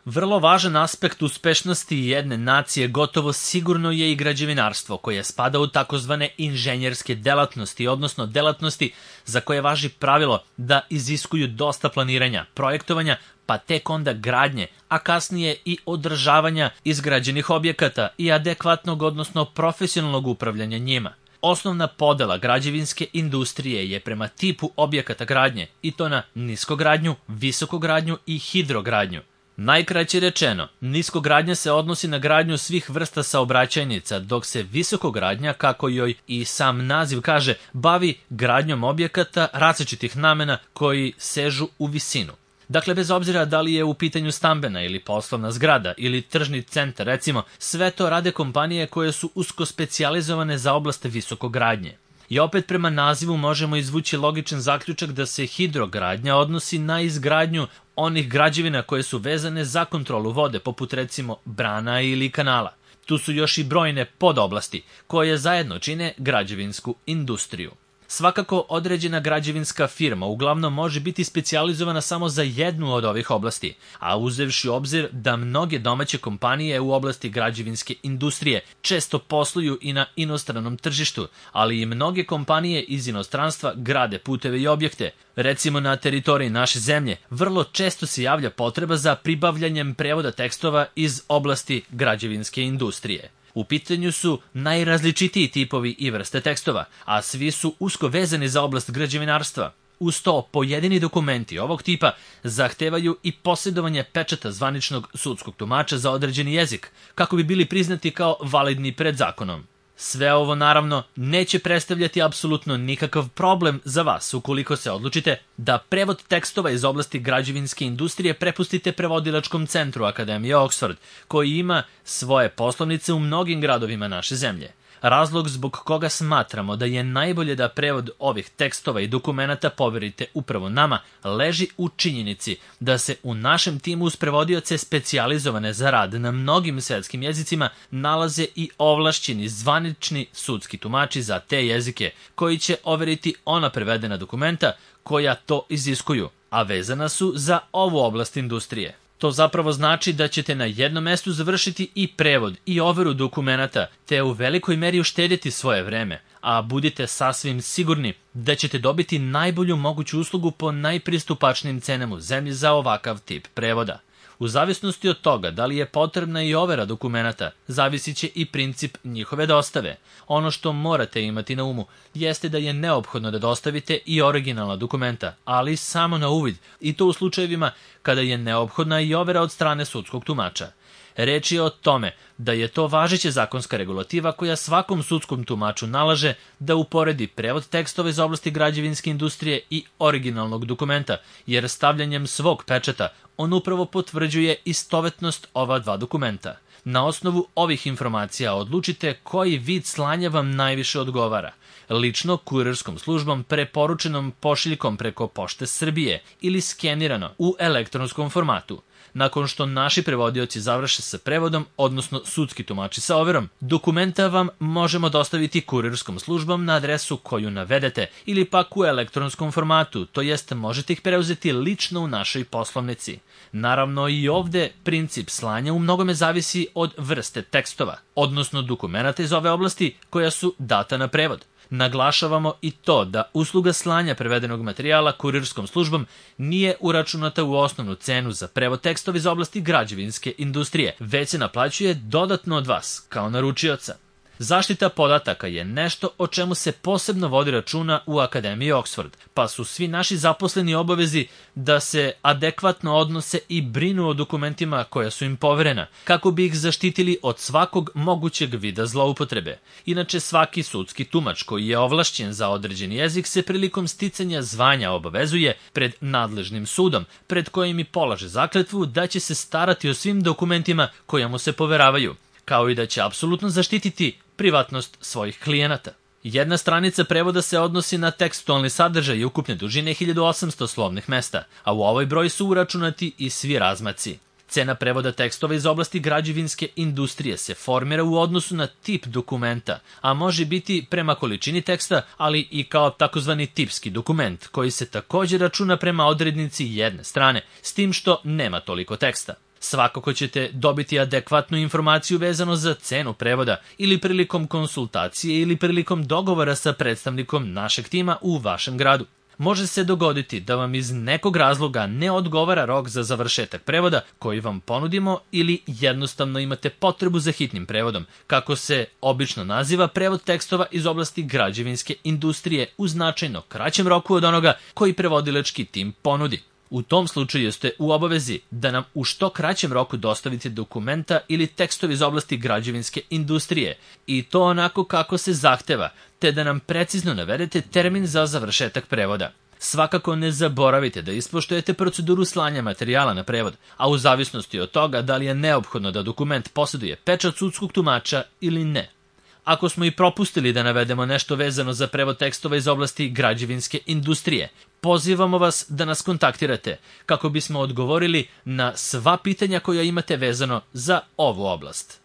Vrlo važan aspekt uspešnosti jedne nacije gotovo sigurno je i građevinarstvo, koje spada u takozvane inženjerske delatnosti, odnosno delatnosti za koje važi pravilo da iziskuju dosta planiranja, projektovanja, pa tek onda gradnje, a kasnije i održavanja izgrađenih objekata i adekvatnog, odnosno profesionalnog upravljanja njima. Osnovna podela građevinske industrije je prema tipu objekata gradnje, i to na niskogradnju, visokogradnju i hidrogradnju. Najkraće rečeno, niskogradnja se odnosi na gradnju svih vrsta saobraćajnica, dok se visokogradnja, kako joj i sam naziv kaže, bavi gradnjom objekata različitih namena koji sežu u visinu. Dakle, bez obzira da li je u pitanju stambena ili poslovna zgrada ili tržni centar, recimo, sve to rade kompanije koje su usko specijalizovane za oblast visokogradnje. I opet prema nazivu možemo izvući logičan zaključak da se hidrogradnja odnosi na izgradnju onih građevina koje su vezane za kontrolu vode, poput recimo brana ili kanala. Tu su još i brojne podoblasti koje zajedno čine građevinsku industriju. Svakako, određena građevinska firma uglavnom može biti specijalizovana samo za jednu od ovih oblasti, a uzevši u obzir da mnoge domaće kompanije u oblasti građevinske industrije često posluju i na inostranom tržištu, ali i mnoge kompanije iz inostranstva grade puteve i objekte. Recimo, na teritoriji naše zemlje vrlo često se javlja potreba za pribavljanjem prevoda tekstova iz oblasti građevinske industrije. U pitanju su najrazličitiji tipovi i vrste tekstova, a svi su usko vezani za oblast građevinarstva. Uz to, pojedini dokumenti ovog tipa zahtevaju i posjedovanje pečata zvaničnog sudskog tumača za određeni jezik, kako bi bili priznati kao validni pred zakonom. Sve ovo, naravno, neće predstavljati apsolutno nikakav problem za vas ukoliko se odlučite da prevod tekstova iz oblasti građevinske industrije prepustite prevodilačkom centru Akademije Oxford, koji ima svoje poslovnice u mnogim gradovima naše zemlje. Razlog zbog koga smatramo da je najbolje da prevod ovih tekstova i dokumenata poverite upravo nama leži u činjenici da se u našem timu uz prevodioce specijalizovane za rad na mnogim svetskim jezicima nalaze i ovlašćeni zvanični sudski tumači za te jezike, koji će overiti ona prevedena dokumenta koja to iziskuju, a vezana su za ovu oblast industrije. To zapravo znači da ćete na jednom mestu završiti i prevod i overu dokumenata, te u velikoj meri uštedjeti svoje vreme, a budite sasvim sigurni da ćete dobiti najbolju moguću uslugu po najpristupačnijim cenama u zemlji za ovakav tip prevoda. U zavisnosti od toga da li je potrebna i overa dokumenata, zavisit će i princip njihove dostave. Ono što morate imati na umu jeste da je neophodno da dostavite i originalna dokumenta, ali samo na uvid, i to u slučajevima kada je neophodna i overa od strane sudskog tumača. Reč je o tome da je to važeća zakonska regulativa koja svakom sudskom tumaču nalaže da uporedi prevod tekstova iz oblasti građevinske industrije i originalnog dokumenta, jer stavljanjem svog pečata on upravo potvrđuje istovetnost ova dva dokumenta. Na osnovu ovih informacija odlučite koji vid slanja vam najviše odgovara. Lično, kurirskom službom, preporučenom pošiljkom preko Pošte Srbije ili skenirano u elektronskom formatu. Nakon što naši prevodioci završe sa prevodom, odnosno sudski tumači sa overom, dokumenta vam možemo dostaviti kurirskom službom na adresu koju navedete ili pak u elektronskom formatu, to jest možete ih preuzeti lično u našoj poslovnici. Naravno, i ovde princip slanja u mnogome zavisi od vrste tekstova, odnosno dokumenta iz ove oblasti koja su data na prevod. Naglašavamo i to da usluga slanja prevedenog materijala kurirskom službom nije uračunata u osnovnu cenu za prevod tekstova iz oblasti građevinske industrije, već se naplaćuje dodatno od vas, kao naručioca. Zaštita podataka je nešto o čemu se posebno vodi računa u Akademiji Oxford, pa su svi naši zaposleni obavezi da se adekvatno odnose i brinu o dokumentima koja su im poverena, kako bi ih zaštitili od svakog mogućeg vida zloupotrebe. Inače, svaki sudski tumač koji je ovlašćen za određeni jezik se prilikom sticanja zvanja obavezuje pred nadležnim sudom, pred kojim i polaže zakletvu da će se starati o svim dokumentima koja mu se poveravaju, kao i da će apsolutno zaštititi privatnost svojih klijenata. Jedna stranica prevoda se odnosi na tekstualni sadržaj i ukupne dužine 1800 slovnih mesta, a u ovoj broj su uračunati i svi razmaci. Cena prevoda tekstova iz oblasti građevinske industrije se formira u odnosu na tip dokumenta, a može biti prema količini teksta, ali i kao takozvani tipski dokument, koji se također računa prema odrednici jedne strane, s tim što nema toliko teksta. Svakako ćete dobiti adekvatnu informaciju vezano za cenu prevoda ili prilikom konsultacije ili prilikom dogovora sa predstavnikom našeg tima u vašem gradu. Može se dogoditi da vam iz nekog razloga ne odgovara rok za završetak prevoda koji vam ponudimo ili jednostavno imate potrebu za hitnim prevodom, kako se obično naziva prevod tekstova iz oblasti građevinske industrije u značajno kraćem roku od onoga koji prevodilački tim ponudi. U tom slučaju ste u obavezi da nam u što kraćem roku dostavite dokumenta ili tekstovi iz oblasti građevinske industrije i to onako kako se zahteva, te da nam precizno navedete termin za završetak prevoda. Svakako ne zaboravite da ispoštujete proceduru slanja materijala na prevod, a u zavisnosti od toga da li je neophodno da dokument posjeduje pečat sudskog tumača ili ne. Ako smo i propustili da navedemo nešto vezano za prevod tekstova iz oblasti građevinske industrije, pozivamo vas da nas kontaktirate kako bismo odgovorili na sva pitanja koja imate vezano za ovu oblast.